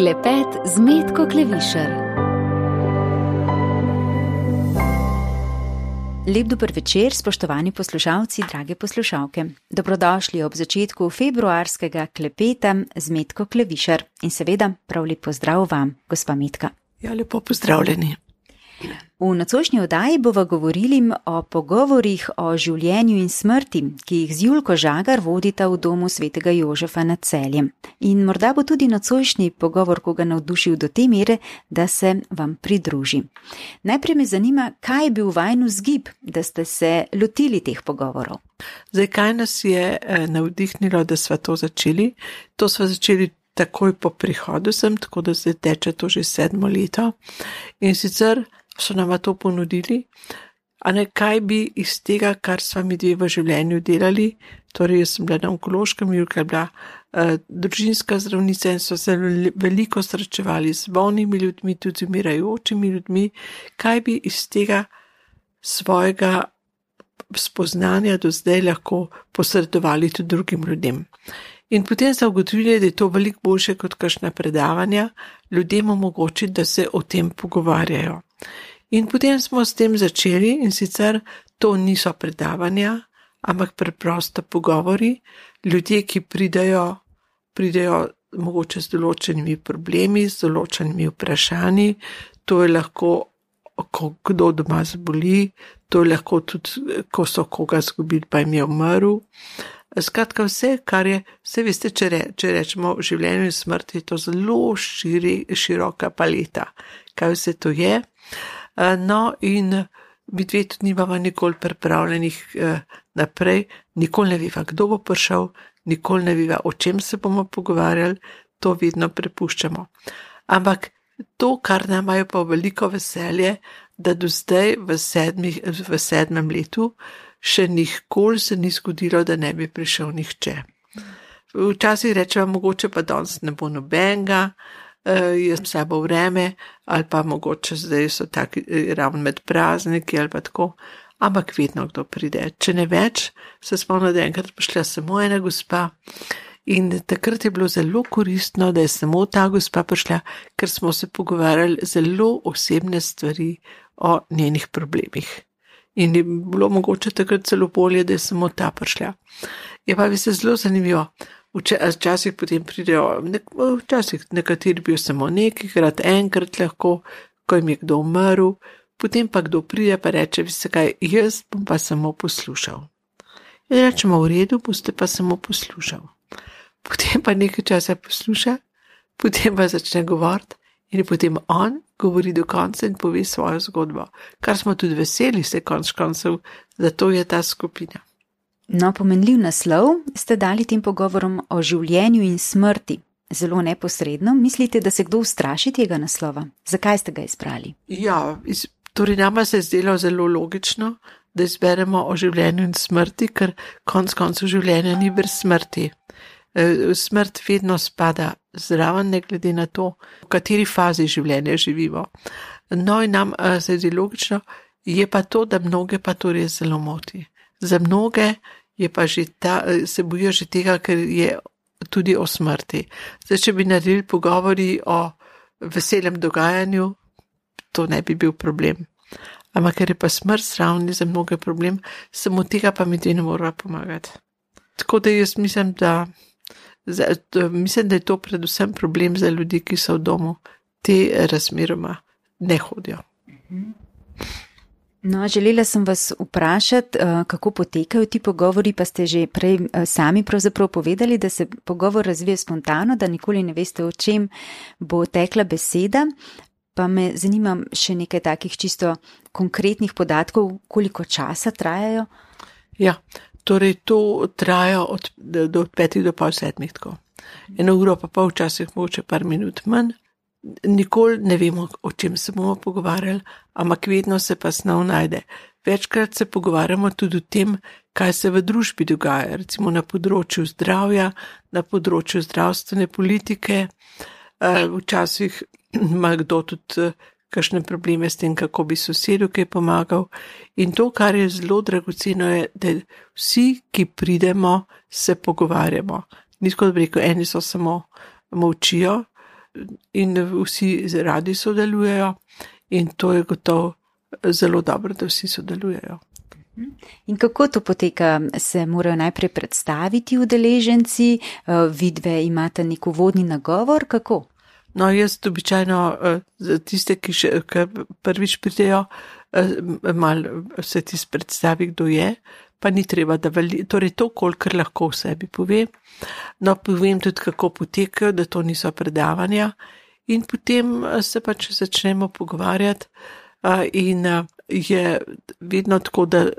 Klepet z Metko Klevišar. Lep dober večer, spoštovani poslušalci, drage poslušalke. Dobrodošli ob začetku februarskega klepeta z Metko Klevišar. In seveda prav lep pozdrav vam, gospa Metka. Ja, lepo pozdravljeni. V nocojšnji oddaji bova govorili o pogovorih o življenju in smrti, ki jih z Julko Žagar vodita v domu svetega Jožefa nad Celjem. In morda bo tudi nocojšnji pogovor koga navdušil do te mere, da se vam pridruži. Najprej me zanima, kaj je bil vajin vzgib, da ste se lotili teh pogovorov. Zdaj, kaj nas je navdihnilo, da sva to začeli? To sva začeli takoj po prihodu sem, tako da zdaj teče to že 7. leto. In sicer so nama to ponudili, a ne kaj bi iz tega, kar sva mi dve v življenju delali, torej jaz sem bila na onkološkem, Julka je bila družinska zdravnica in so se veliko srečevali z bolnimi ljudmi, tudi z umirajočimi ljudmi, kaj bi iz tega svojega spoznanja do zdaj lahko posredovali tudi drugim ljudem. In potem so ugotovili, da je to veliko boljše kot kakšna predavanja, ljudem omogočiti, da se o tem pogovarjajo. In potem smo s tem začeli in sicer to niso predavanja, ampak preprosto pogovori, ljudje, ki pridejo mogoče z določenimi problemi, z določenimi vprašanji, to je lahko, kdo doma zboli, to je lahko tudi, ko so koga zgubili, pa jim je umrl. Skratka, vse, kar je, vse veste, če rečemo v življenju in smrti, je to zelo široka paleta, kaj vse to je. No, in mi dve tudi nimamo nikoli pripravljenih naprej, nikoli ne veva, kdo bo prišel, nikoli ne veva, o čem se bomo pogovarjali, to vedno prepuščamo. Ampak to, kar nam je pa veliko veselje, da do zdaj v 7. letu še nikoli se ni zgodilo, da ne bi prišel nihče. Včasih rečemo, mogoče pa danes ne bo nobenega, je slabo vreme, ali pa mogoče zdaj so taki ravno med prazniki ali pa tako, ampak vedno kdo pride. Če ne več, se spomnim, da enkrat prišla samo ena gospa in takrat je bilo zelo koristno, da je samo ta gospa prišla, ker smo se pogovarjali zelo osebne stvari o njenih problemih. In je bilo mogoče takrat celo bolje, da je samo ta prišla. Je pa veste zelo zanimivo. Včasih potem pridejo, včasih nekateri bil samo nekajkrat, enkrat lahko, ko jim je kdo umrl, potem pa kdo pride pa reče, veste kaj, jaz bom pa samo poslušal. In rečemo, v redu, boste pa samo poslušal. Potem pa nekaj časa posluša, potem pa začne govoriti in potem on govori do konca in pove svojo zgodbo, kar smo tudi veseli se konec koncev, zato je ta skupina. No, pomenljiv naslov ste dali tem pogovorom o življenju in smrti. Zelo neposredno. Mislite, da se kdo ustraši tega naslova? Zakaj ste ga izbrali? Ja, torej nama se je zdelo zelo logično, da izberemo o življenju in smrti, ker konec koncev življenja ni brez smrti. Smrt vedno spada zraven, ne glede na to, v kateri fazi življenja živimo. No in nam se je logično, je pa to, da mnoge pa to res zelo moti. Za mnoge je pa že se bojijo že tega, ker je tudi o smrti. Zdaj, če bi naredili pogovori o veselem dogajanju, to ne bi bil problem. Ampak ker je pa smrt zraven za mnoge problem, samo tega pa mi dve ne morava pomagati. Tako da jaz mislim, da je to predvsem problem za ljudi, ki so v domu, te razmeroma ne hodijo. No, želela sem vas vprašati, kako potekajo ti pogovori, pa ste že prej sami pravzaprav povedali, da se pogovor razvije spontano, da nikoli ne veste, o čem bo tekla beseda, pa me zanima še nekaj takih čisto konkretnih podatkov, koliko časa trajajo? Ja, torej to traja od 5 do pol 7, tako. 1 uro pa pol, včasih mogoče par minut manj. Nikoli ne vemo, o čem se bomo pogovarjali, ampak vedno se pa snov najde. Večkrat se pogovarjamo tudi o tem, kaj se v družbi dogaja, recimo na področju zdravja, na področju zdravstvene politike. Včasih ima kdo tudi kakšne probleme s tem, kako bi sosedu kaj pomagal. In to, kar je zelo dragoceno, je, da vsi, ki pridemo, se pogovarjamo. Ni tako, da bi rekel, eni so samo molčijo, in vsi radi sodelujejo in to je gotovo zelo dobro, da vsi sodelujejo. In kako to poteka? Se morajo najprej predstaviti udeleženci, vidve imate nek uvodni nagovor, kako? No, jaz običajno za tiste, ki prvič pridejo, malo se ti predstavi, kdo je, pa ni treba, da torej to, kolikor lahko v sebi povem. No, povem tudi, kako potekajo, da to niso predavanja in potem se pač začnemo pogovarjati in je vedno tako, da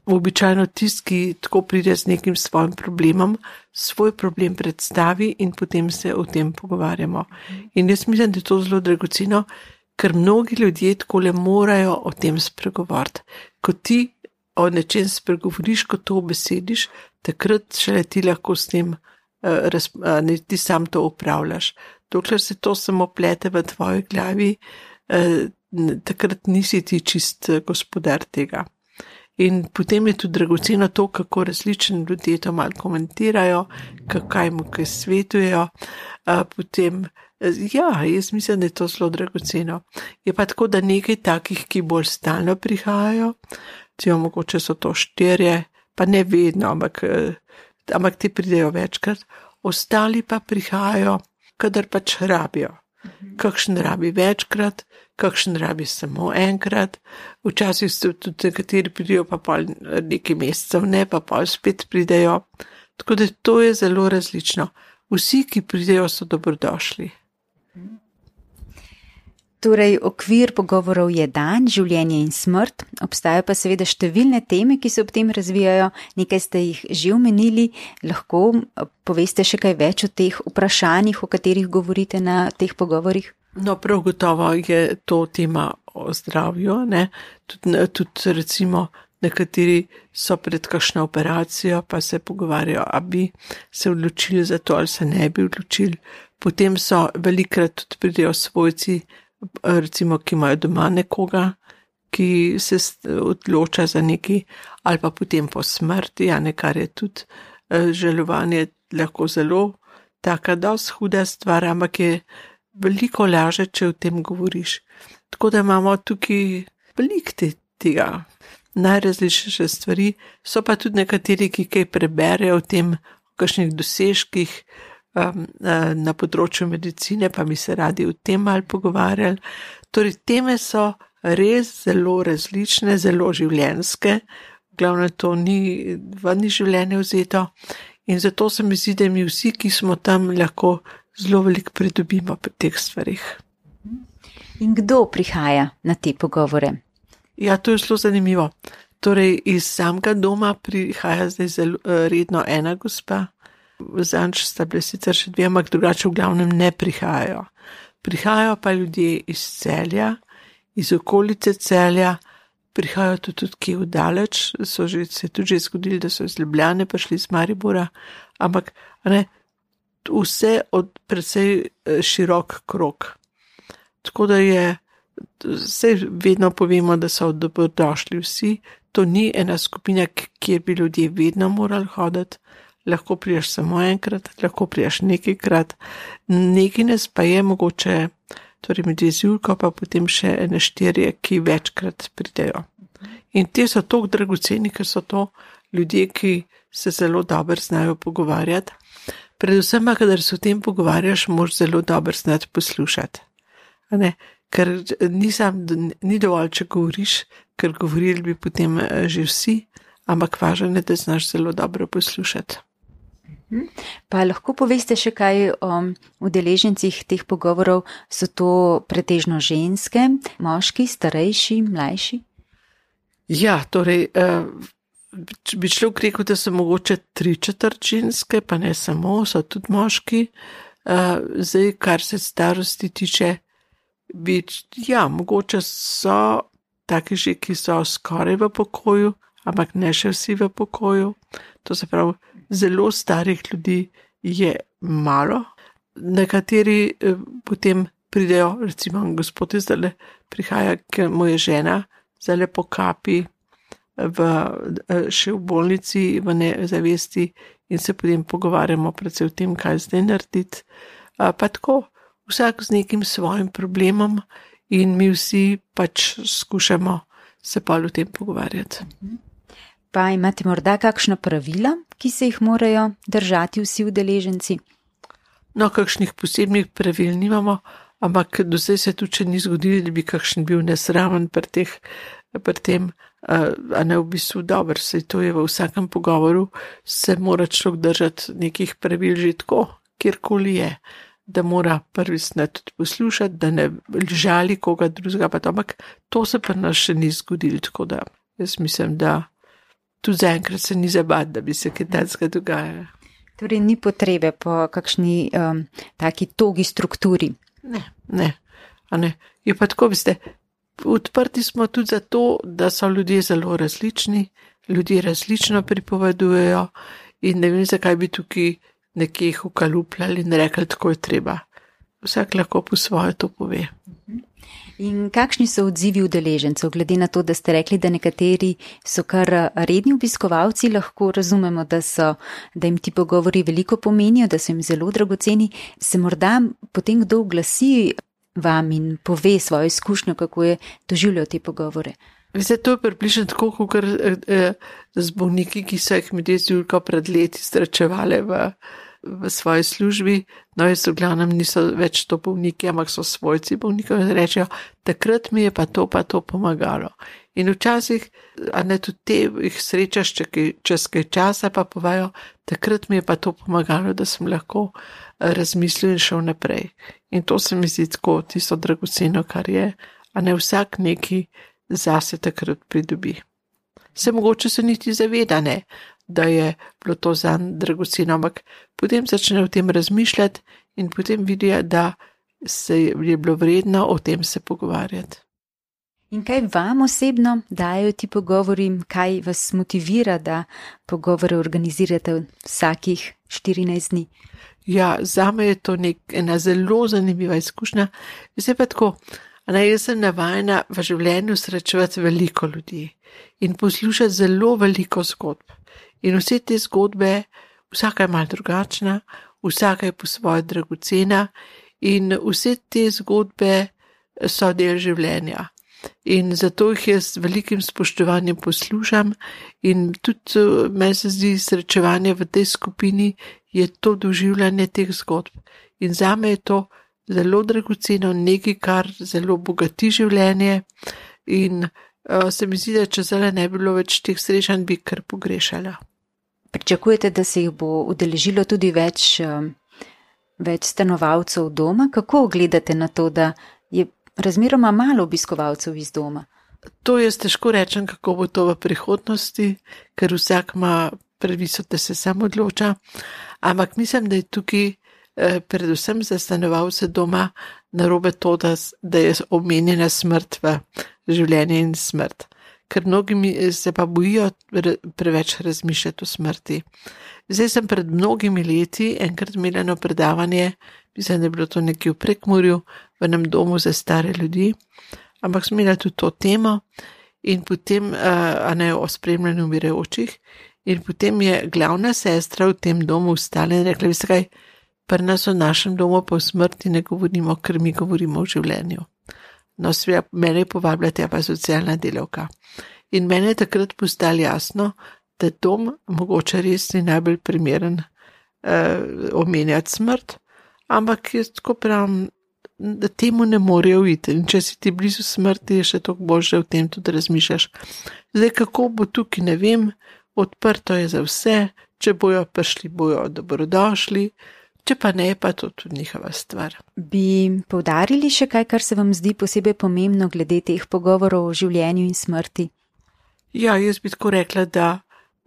običajno tisti, ki tako pride z nekim svojim problemom, svoj problem predstavi in potem se o tem pogovarjamo. In jaz mislim, da je to zelo dragoceno, ker mnogi ljudje takole morajo o tem spregovoriti. Ko ti o nečem spregovoriš, ko to obesediš, takrat šele ti lahko s tem, ti sam to upravljaš. Dokler se to samo plete v tvoji glavi, takrat nisi ti čist gospodar tega. In potem je tudi dragoceno to, kako različni ljudje to malo komentirajo, kaj mu kaj svetujejo. Potem, jaz mislim, da je to zelo dragoceno. Je pa tako, da nekaj takih, ki bolj stalno prihajajo, mogoče so to 4, pa ne vedno, ampak ti pridejo večkrat, ostali pa prihajajo, kadar pač rabijo. Kakšen rabi večkrat, kakšen rabi samo enkrat, včasih so tudi nekateri pridejo pa pol nekaj mesecev, ne pa pol spet pridejo, tako da to je zelo različno. Vsi, ki pridejo, so dobrodošli. Torej, okvir pogovorov je dan, življenje in smrt, obstajajo pa seveda številne teme, ki se ob tem razvijajo, nekaj ste jih že omenili, lahko poveste še kaj več o teh vprašanjih, o katerih govorite na teh pogovorih? No, prav gotovo je to tema o zdravju, ne, tudi recimo nekateri so pred kakšno operacijo, pa se pogovarjajo, a bi se odločili za to ali se ne bi odločili, potem so velikrat tudi pridejo svojci, recimo, ki imajo doma nekoga, ki se odloča za nekaj, ali pa potem po smrti, kar je tudi žalovanje lahko zelo taka dosti huda stvar, ampak je veliko laže, če o tem govoriš. Tako da imamo tukaj veliko tega, najrazličnejše stvari, so pa tudi nekateri, ki kaj preberejo o tem, o kakšnih dosežkih, na področju medicine, pa bi se radi o tem malo pogovarjali. Torej, teme so res zelo različne, zelo življenjske, glavno to ni življenje vzeto in zato se mi zdi, da mi vsi, ki smo tam, lahko zelo veliko pridobimo pri teh stvarih. In kdo prihaja na te pogovore? Ja, to je zelo zanimivo. Torej, iz samega doma prihaja zdaj zelo redno ena gospa, zanč sta bile sicer še 2, ampak drugače v glavnem ne prihajajo. Prihajajo pa ljudje iz Celja, iz okolice Celja, prihajajo tudi kje vdaleč, se je tudi že zgodilo, da so iz Ljubljane prišli iz Maribora, ampak vse od precej širok krog. Tako da vse vedno povemo, da so dobrodošli vsi, to ni ena skupina, kjer bi ljudje vedno morali hoditi, lahko priješ samo enkrat, lahko priješ nekajkrat, nekaj nas pa je mogoče, torej med Julko pa potem še 4, ki večkrat pridejo. In te so toliko dragoceni, ker so to ljudje, ki se zelo dobro znajo pogovarjati. Predvsem pa, kadar se o tem pogovarjaš, moraš zelo dobro znati poslušati. Ker ni dovolj, če govoriš, ker govorili bi potem že vsi, ampak važno je, da znaš zelo dobro poslušati. Pa lahko poveste še kaj o udeležencih teh pogovorov, so to pretežno ženske, moški, starejši, mlajši? Ja, torej, bi človek rekel, da so mogoče 3/4 ženske, pa ne samo, so tudi moški. Zdaj, kar se starosti tiče, mogoče so taki že, ki so skoraj v pokoju, ampak ne še vsi v pokoju. To se pravi, zelo starih ljudi je malo. Nekateri potem pridejo, recimo gospod zdaj prihaja, ker mu je žena zdaj po kapi še v bolnici, v nezavesti in se potem pogovarjamo predvsem o tem, kaj zdaj narediti. Pa tako, vsak z nekim svojim problemom in mi vsi pač skušamo se pa o tem pogovarjati. Pa imate morda kakšna pravila, ki se jih morajo držati vsi udeleženci? No, kakšnih posebnih pravil nimamo, ampak do zdaj se tudi ni zgodilo, da bi kakšen bil nesramen pri tem, a ne v bistvu dobro, saj to je v vsakem pogovoru, se mora človek držati nekih pravil že tako, kjerkoli je, da mora prvi snad tudi poslušati, da ne žali koga drugega, pa to, ampak to se pri nas še ni zgodilo, tako da jaz mislim, da tudi zaenkrat se ni zabati, da bi se kaj takega dogajalo. Torej ni potrebe po kakšni taki togi strukturi. Ne. Je pa tako, veste, odprti smo tudi zato, da so ljudje zelo različni, ljudje različno pripovedujejo in ne vem, zakaj bi tukaj nekje jih ukalupljali in rekli, tako je treba. Vsak lahko po svoje to pove. In kakšni so odzivi udeležencev, glede na to, da ste rekli, da nekateri so kar redni obiskovalci, lahko razumemo, da jim ti pogovori veliko pomenijo, da so jim zelo dragoceni, se morda potem kdo oglasi vam in pove svojo izkušnjo, kako je doživljal te pogovore? Veste, to je približno tako, kot z bolniki, ki so jih medij z Julko pred leti srečevali v svoji službi, no jaz v glavnem niso več to bolniki, ampak so svojci bolnikov in rečejo, takrat mi je pa to pomagalo. In včasih, a ne tudi te jih srečaš čez kaj časa, pa povajo, takrat mi je pa to pomagalo, da sem lahko razmislil in šel naprej. In to se mi zdi tako, tisto dragoceno, kar je, a ne vsak neki zase takrat pridobi. Se mogoče se niti zaveda, ne, da je bilo to zanj dragoceno, ampak potem začne o tem razmišljati in potem vidijo, da se je bilo vredno o tem se pogovarjati. In kaj vam osebno dajo ti pogovori, kaj vas motivira, da pogovore organizirate vsakih 14 dni? Ja, zame je to ena zelo zanimiva izkušnja. Zdaj pa tako, jaz sem navajena v življenju srečevati veliko ljudi in poslušati zelo veliko zgodb. In vse te zgodbe, vsaka je malo drugačna, vsaka je po svoje dragocena in vse te zgodbe so del življenja. In zato jih jaz z velikim spoštovanjem poslušam in tudi meni se zdi srečevanje v tej skupini je to doživljanje teh zgodb. In zame je to zelo dragoceno, nekaj, kar zelo bogati življenje in se mi zdi, da če zdaj ne bi bilo več teh srečanj, bi kar pogrešala. Pričakujete, da se jih bo udeležilo tudi več stanovalcev doma? Kako gledate na to, da je razmeroma malo obiskovalcev iz doma? To jaz težko rečem, kako bo to v prihodnosti, ker vsak ima pravico, da se sam odloča, ampak mislim, da je tukaj predvsem za stanovalce doma narobe to, da je omenjena smrt v življenje in smrt. Ker mnogi se pa bojijo preveč razmišljati o smrti. Zdaj sem pred mnogimi leti enkrat imela eno predavanje, mislim, da je bilo to nekje v Prekmurju, v enem domu za stare ljudi, ampak sem imela tudi to temo in potem, o spremljanju umirajočih, in potem je glavna sestra v tem domu vstala in rekla, veste kaj, pri nas v našem domu pa v smrti ne govorimo, ker mi govorimo o življenju. No, sveda, mene je povabila tja pa socialna delavka. In mene je takrat postalo jasno, da dom mogoče res ni najbolj primeren omenjati smrt, ampak jaz tako pravim, da temu ne morejo iti. In če si ti blizu smrti, je še toliko bolj, da o tem tudi razmišljaš. Zdaj, kako bo tukaj, ne vem, odprto je za vse, če bojo prišli, bojo dobrodošli, če pa ne, pa to tudi njihova stvar. Bi poudarili še kaj, kar se vam zdi posebej pomembno glede teh pogovorov o življenju in smrti? Ja, jaz bi tako rekla, da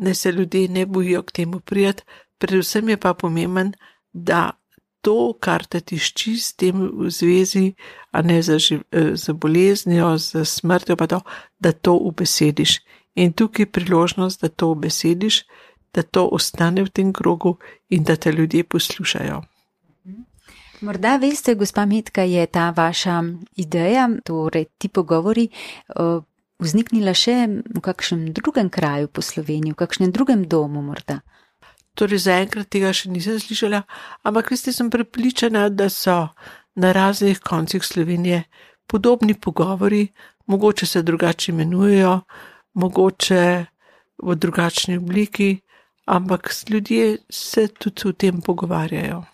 ne se ljudje ne bojijo k temu prijeti, predvsem je pa pomemben, da to, kar te tišči s tem v zvezi, a ne z boleznijo, z smrtjo, pa to, da to ubesediš. In tukaj je priložnost, da to ubesediš, da to ostane v tem krogu in da te ljudje poslušajo. Morda veste, gospa Metka, je ta vaša ideja, torej ti pogovori, vzniknila še v kakšnem drugem kraju po Sloveniji, v kakšnem drugem domu morda? Torej zaenkrat tega še nisem slišala, ampak veste, sem prepričana, da so, na raznih koncih Slovenije podobni pogovori, mogoče se drugače imenujejo, mogoče v drugačni obliki, ampak ljudje se tudi o tem pogovarjajo.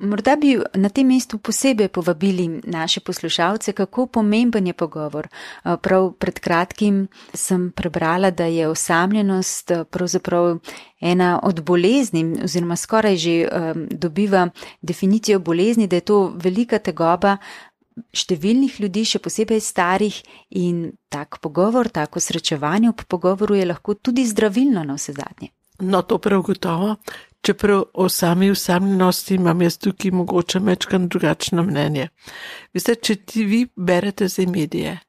Morda bi na tem mestu posebej povabili naše poslušalce, kako pomemben je pogovor. Prav pred kratkim sem prebrala, da je osamljenost pravzaprav ena od bolezni, oziroma skoraj že dobiva definicijo bolezni, da je to velika tegoba številnih ljudi, še posebej starih, in tak pogovor, tako srečevanje ob pogovoru je lahko tudi zdravilno na vse zadnje. No, to prav gotovo. Čeprav o sami osamljenosti imam jaz tukaj mogoče mečkan drugačno mnenje. Veste, če vi berete za medije,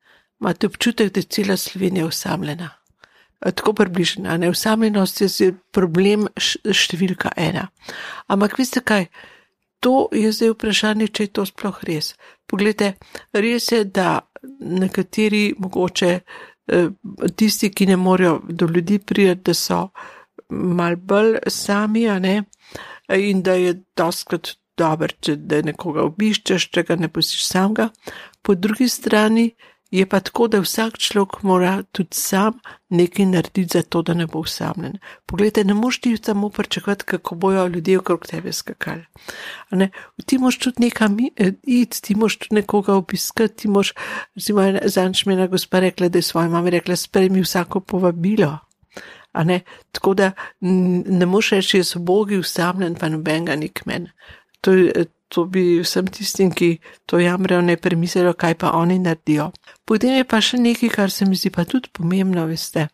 imate občutek, da je cela Slovenija osamljena. Tako približena, ne? Osamljenost je problem številka 1. Ampak veste kaj, to je zdaj vprašanje, če je to sploh res. Poglejte, res je, da nekateri mogoče tisti, ki ne morejo do ljudi priti, da so mal bolj sami, a ne, in da je dostkrat dober, da nekoga obiščeš, če ga ne pustiš samega. Po drugi strani je pa tako, da vsak človek mora tudi sam nekaj narediti za to, da ne bo osamljen. Poglejte, ne moš ti samo pričakovati, kako bojo ljudje okrog tebe skakali. Ti moš tudi nekam iti, ti moš tudi nekoga obiskati, ti moš, recimo, zadnjič mi je ena gospa rekla, da je svoji mami rekla, sprejmi vsako povabilo. Tako da ne moš reči, jaz bogi usamljen, pa nobenega ni k meni. To bi vsem tistim, ki to jamrejo, ne premislijo, kaj pa oni naredijo. Potem je pa še nekaj, kar se mi zdi pa tudi pomembno, veste.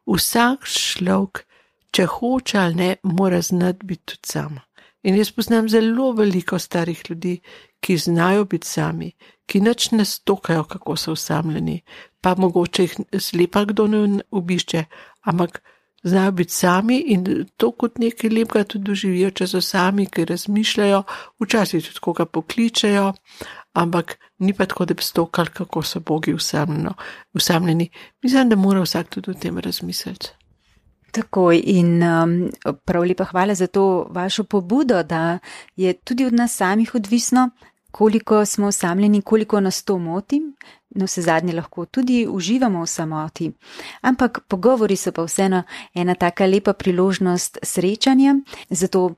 Vsak človek, če hoče ali ne, mora znati biti tudi sam. In jaz poznam zelo veliko starih ljudi, ki znajo biti sami, ki nič ne stokajo, kako so osamljeni, pa mogoče jih slepa kdo ne obišče, ampak znajo biti sami in to kot nekaj lepega tudi doživijo, če so sami, ki razmišljajo, včasih tudi koga pokličejo, ampak ni pa tako, da bi stokali, kako so bogi osamljeni. Mislim, da mora vsak tudi o tem razmisliti. Takoj, in prav lepa hvala za to vašo pobudo, da je tudi od nas samih odvisno, koliko smo osamljeni, koliko nas to moti. No, vse zadnje lahko tudi uživamo v samoti. Ampak pogovori so pa vseeno ena taka lepa priložnost srečanja, zato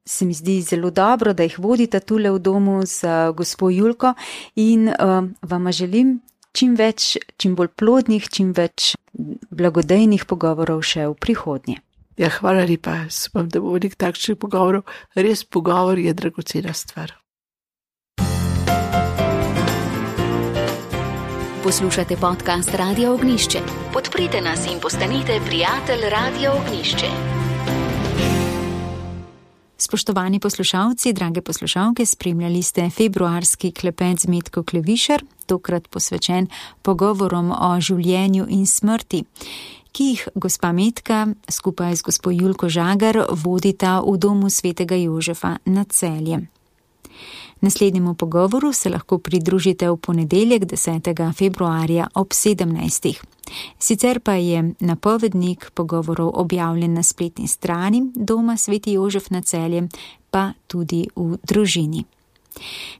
se mi zdi zelo dobro, da jih vodite tule v domu z gospo Julko in vama želim čim več, čim bolj plodnih, čim več blagodejnih pogovorov še v prihodnje. Ja, hvala lepa. Upam, da bo veliko takšnih pogovorov. Res pogovor je dragocena stvar. Poslušate podcast Radio Ognjišče. Podprite nas in postanite prijatelj Radio Ognjišče. Spoštovani poslušalci, drage poslušalke, spremljali ste februarski klepet z Metko Klevišar, tokrat posvečen pogovorom o življenju in smrti, ki jih gospa Metka skupaj z gospo Julko Žagar vodita v domu svetega Jožefa na Celjem. Naslednjemu pogovoru se lahko pridružite v ponedeljek 10. februarja ob 17. Sicer pa je napovednik pogovorov objavljen na spletni strani doma sveti Jožef na Celjem, pa tudi v družini.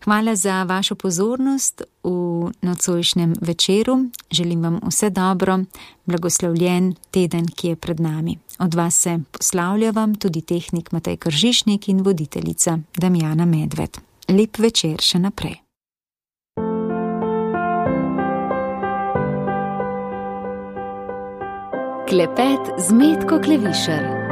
Hvala za vašo pozornost v nocojšnjem večeru. Želim vam vse dobro, blagoslovljen teden, ki je pred nami. Od vas se poslavlja vam tudi tehnik Matej Kržišnik in voditeljica Damjana Medved. Lep večer še naprej. Klepet z Metko Klevišar.